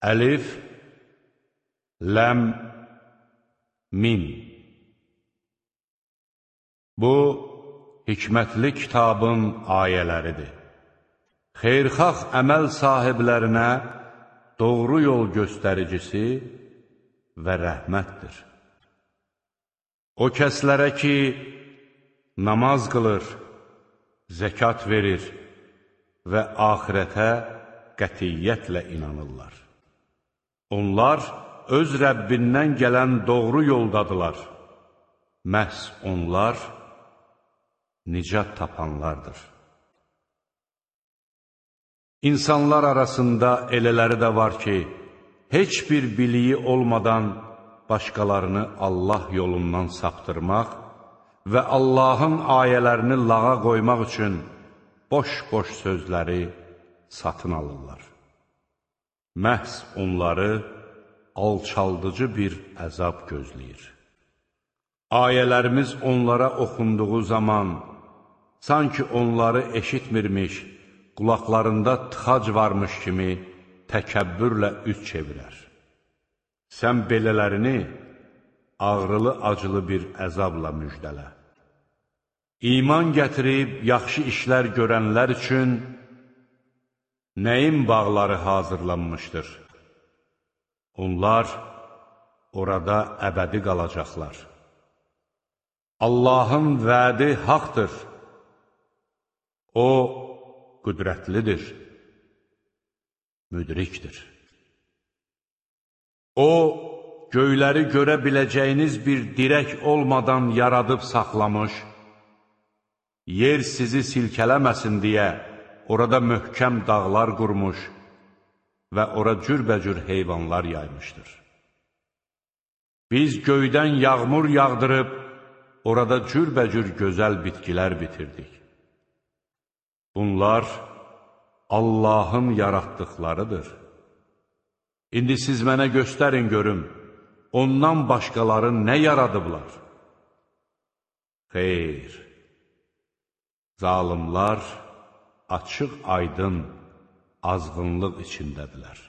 Əlif, Ləm, Mim. Bu, hikmətli kitabın ayələridir. Xeyrxalq əməl sahiblərinə doğru yol göstəricisi və rəhmətdir. O kəslərə ki, namaz qılır, zəkat verir və axirətə qətiyyətlə inanırlar. Onlar öz Rəbbindən gələn doğru yoldadılar. Məhz onlar nicat tapanlardır. İnsanlar arasında elələri də var ki, heç bir biliyi olmadan başqalarını Allah yolundan saptırmaq və Allahın ayələrini lağa qoymaq üçün boş-boş sözləri satın alırlar. Məhz onları alçaldıcı bir əzab gözləyir. Ayələrimiz onlara oxunduğu zaman, sanki onları eşitmirmiş, qulaqlarında tıxac varmış kimi təkəbbürlə üz çevirər. Sən belələrini ağrılı-acılı bir əzabla müjdələ. İman gətirib yaxşı işlər görənlər üçün nəyin bağları hazırlanmışdır? Onlar orada əbədi qalacaqlar. Allahın vədi haqdır. O, qüdrətlidir, müdrikdir. O, göyləri görə biləcəyiniz bir dirək olmadan yaradıb saxlamış, yer sizi silkələməsin deyə orada möhkəm dağlar qurmuş və ora cürbəcür heyvanlar yaymışdır. Biz göydən yağmur yağdırıb, orada cürbəcür gözəl bitkilər bitirdik. Bunlar Allahın yaratdıqlarıdır. İndi siz mənə göstərin görüm, ondan başqaları nə yaradıblar? Xeyr, zalimlar açıq-aydın azğınlıq içindədirlər.